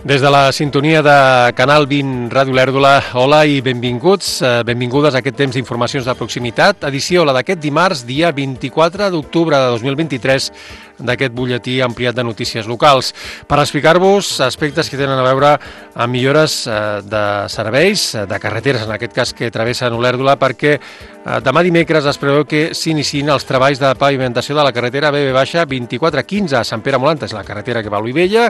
Des de la sintonia de Canal 20 Ràdio Olèrdola, hola i benvinguts, benvingudes a aquest temps d'informacions de proximitat, edició la d'aquest dimarts, dia 24 d'octubre de 2023, d'aquest butlletí ampliat de notícies locals, per explicar-vos aspectes que tenen a veure amb millores de serveis, de carreteres, en aquest cas que travessen Olèrdola, perquè demà dimecres es preveu que s'iniciïn els treballs de pavimentació de la carretera BB-2415 a Sant Pere Molanta, és la carretera que va a Olivella.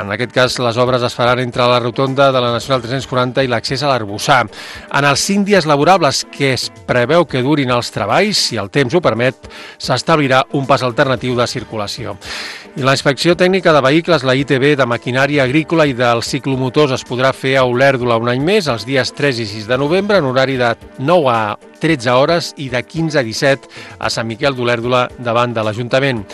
En aquest cas, les obres es faran entre la rotonda de la Nacional 340 i l'accés a l'Arboçar. En els 5 dies laborables que es preveu que durin els treballs, si el temps ho permet, s'establirà un pas alternatiu de circulació. I la inspecció tècnica de vehicles, la ITV, de maquinària agrícola i dels ciclomotors es podrà fer a Olèrdola un any més, els dies 3 i 6 de novembre, en horari de 9 a 13 hores i de 15 a 17 a Sant Miquel d'Olèrdola davant de l'Ajuntament.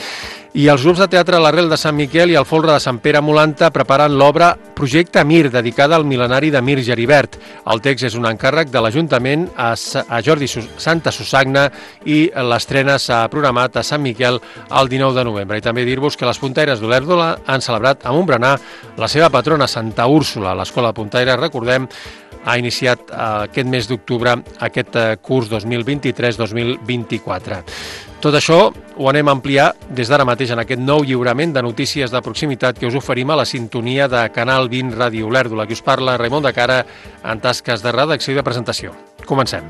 I els grups de teatre l'Arrel de Sant Miquel i el Folre de Sant Pere Molanta preparen l'obra Projecte Mir, dedicada al mil·lenari de Mir Geribert. El text és un encàrrec de l'Ajuntament a Jordi Santa Susagna i l'estrena s'ha programat a Sant Miquel el 19 de novembre. I també dir-vos que les puntaires d'Olèrdola han celebrat amb un berenar la seva patrona Santa Úrsula. L'Escola de Puntaires, recordem, ha iniciat aquest mes d'octubre aquest curs 2023-2024. Tot això ho anem a ampliar des d'ara mateix en aquest nou lliurament de notícies de proximitat que us oferim a la sintonia de Canal 20 Ràdio Olèrdola. Qui us parla, Raimon de Cara, en tasques de redacció i de presentació. Comencem.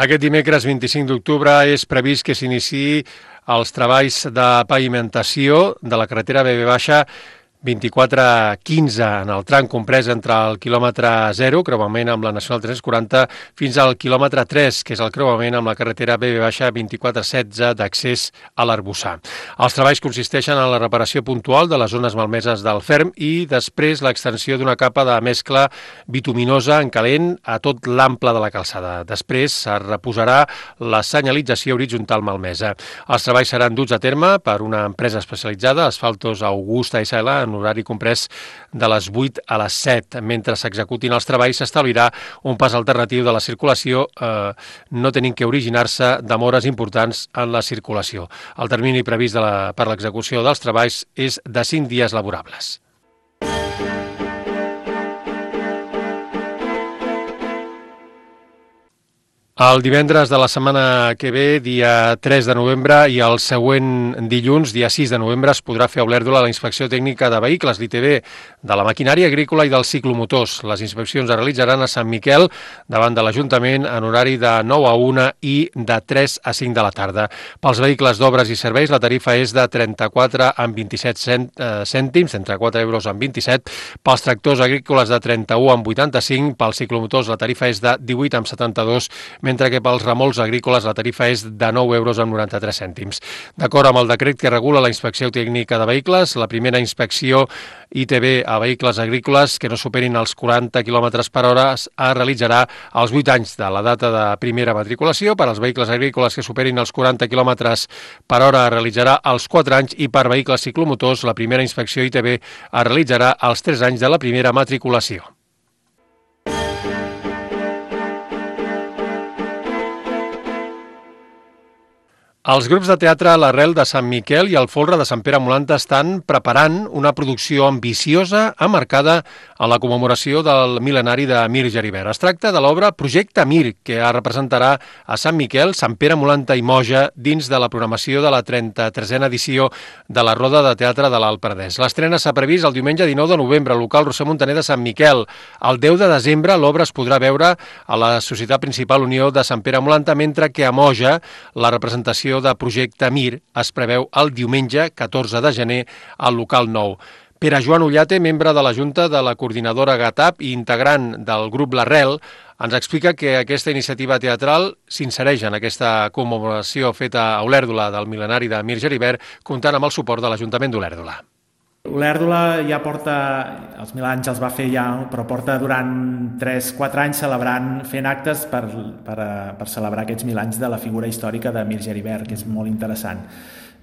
Aquest dimecres 25 d'octubre és previst que s'iniciï els treballs de pavimentació de la carretera BB-2415 en el tram comprès entre el quilòmetre 0, creuament amb la Nacional 340, fins al quilòmetre 3, que és el creuament amb la carretera BB-2416 d'accés a l'Arboçar. Els treballs consisteixen en la reparació puntual de les zones malmeses del ferm i després l'extensió d'una capa de mescla bituminosa en calent a tot l'ample de la calçada. Després es reposarà la senyalització horitzontal malmesa. Els treballs seran duts a terme per una empresa especialitzada, Asfaltos Augusta S.L., en horari comprès de les 8 a les 7. Mentre s'executin els treballs s'establirà un pas alternatiu de la circulació, no tenint que originar-se demores importants en la circulació. El termini previst per l'execució dels treballs és de 5 dies laborables. El divendres de la setmana que ve, dia 3 de novembre, i el següent dilluns, dia 6 de novembre, es podrà fer a Olèrdola la inspecció tècnica de vehicles, l'ITV, de la maquinària agrícola i dels ciclomotors. Les inspeccions es realitzaran a Sant Miquel, davant de l'Ajuntament, en horari de 9 a 1 i de 3 a 5 de la tarda. Pels vehicles d'obres i serveis, la tarifa és de 34 amb 27 cèntims, 34 euros amb 27. Pels tractors agrícoles, de 31 amb 85. Pels ciclomotors, la tarifa és de 18 amb 72, mentre que pels remolcs agrícoles la tarifa és de 9 euros amb 93 cèntims. D'acord amb el decret que regula la inspecció tècnica de vehicles, la primera inspecció ITV a vehicles agrícoles que no superin els 40 km per hora es realitzarà als 8 anys de la data de primera matriculació. Per als vehicles agrícoles que superin els 40 km per hora es realitzarà als 4 anys i per vehicles ciclomotors la primera inspecció ITV es realitzarà als 3 anys de la primera matriculació. Els grups de teatre l'Arrel de Sant Miquel i el Folre de Sant Pere Molanta estan preparant una producció ambiciosa emmarcada en la commemoració del mil·lenari de Mir Geribert. Es tracta de l'obra Projecte Mir, que es representarà a Sant Miquel, Sant Pere Molanta i Moja dins de la programació de la 33a edició de la Roda de Teatre de l'Alt Penedès. L'estrena s'ha previst el diumenge 19 de novembre al local Roser Montaner de Sant Miquel. El 10 de desembre l'obra es podrà veure a la Societat Principal Unió de Sant Pere Molanta, mentre que a Moja la representació de Projecte Mir es preveu el diumenge 14 de gener al local 9. Pere Joan Ullate, membre de la Junta de la Coordinadora GATAP i integrant del grup L'Arrel, ens explica que aquesta iniciativa teatral s'insereix en aquesta commemoració feta a Olèrdola del mil·lenari de Mir Geribert, comptant amb el suport de l'Ajuntament d'Olèrdola. Olèrdola ja porta, els 1000 anys els va fer ja, però porta durant 3-4 anys fent actes per celebrar aquests 1000 anys de la figura històrica de Mir Geribert, que és molt interessant.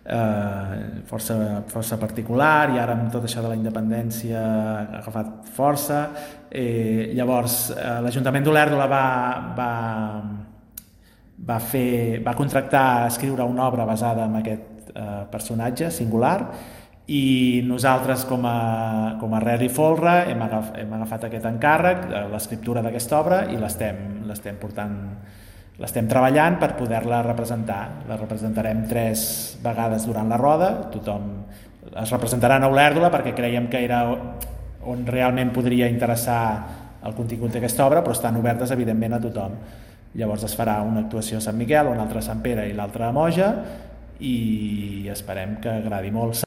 força particular, i ara amb tot això de la independència ha agafat força. Llavors l'Ajuntament d'Olèrdola va contractar a escriure una obra basada en aquest personatge singular, i nosaltres com a Rel i Folra hem agafat aquest encàrrec, l'escriptura d'aquesta obra, i l'estem treballant per poder-la representar. La representarem 3 vegades durant la roda. Tothom es representarà a Olèrdola perquè creiem que era on realment podria interessar el contingut d'aquesta obra, però estan obertes evidentment a tothom. Llavors es farà una actuació a Sant Miquel, una altra a Sant Pere i l'altra a Moja, i esperem que agradi molt.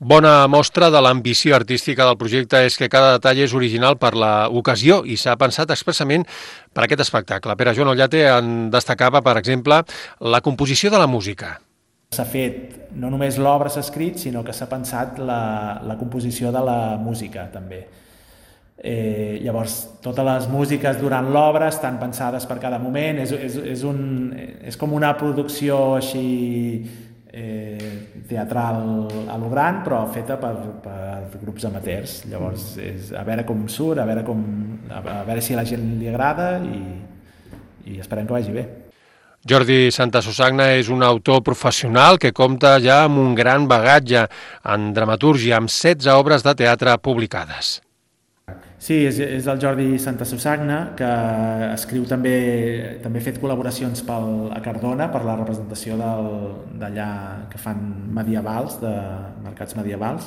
Bona mostra de l'ambició artística del projecte és que cada detall és original per l'ocasió i s'ha pensat expressament per aquest espectacle. Pere Joan Ollate en destacava, per exemple, la composició de la música. S'ha fet, no només l'obra s'ha escrit, sinó que s'ha pensat la composició de la música també. Llavors, totes les músiques durant l'obra estan pensades per cada moment, és com una producció així teatral a lo gran, però feta per grups amateurs. Llavors a veure com surt, a veure si a la gent li agrada, i esperem que vagi bé. Jordi Santasusagna és un autor professional que compta ja amb un gran bagatge en dramatúrgia, amb 16 obres de teatre publicades. Sí, és el Jordi Santasusagna, que escriu també ha fet col·laboracions a Cardona per la representació d'allà que fan medievals, de mercats medievals,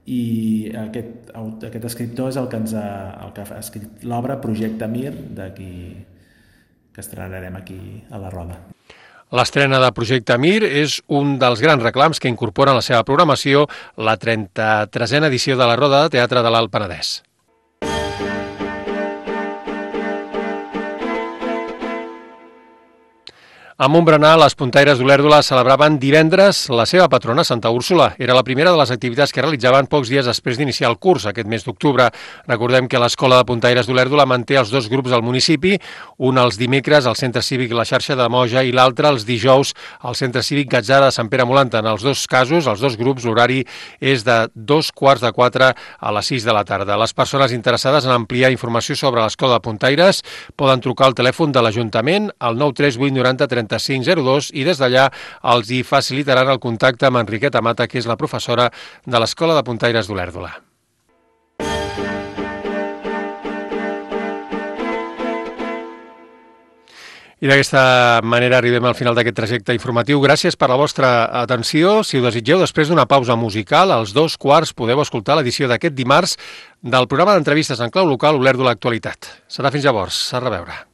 i aquest escriptor és el que ha escrit l'obra Projecte Mir, d'aquí que estrenarem aquí a la Roda. L'estrena de Projecte Mir és un dels grans reclams que incorpora en la seva programació la 33a edició de la Roda de Teatre de l'Alt Penedès. A Montbrenà, les puntaires d'Olèrdola celebraven divendres la seva patrona, Santa Úrsula. Era la primera de les activitats que realitzaven pocs dies després d'iniciar el curs, aquest mes d'octubre. Recordem que l'Escola de Puntaires d'Olèrdola manté els 2 grups al municipi, un els dimecres al Centre Cívic La Xarxa de Moja i l'altre els dijous al Centre Cívic Gatzara de Sant Pere Molanta. En els 2 casos, els 2 grups, l'horari és de 3:15 a les 6 de la tarda. Les persones interessades en ampliar informació sobre l'Escola de Puntaires poden trucar al telèfon de l'Ajuntament al 938 90 3502 i des d'allà els hi facilitaran el contacte amb Enriqueta Mata, que és la professora de l'Escola de Puntaires d'Olèrdola. I d'aquesta manera arribem al final d'aquest trajecte informatiu. Gràcies per la vostra atenció. Si ho desitgeu, després d'una pausa musical, als 2:15 podeu escoltar l'edició d'aquest dimarts del programa d'entrevistes en clau local Olèrdola Actualitat. Serà fins llavors. A reveure.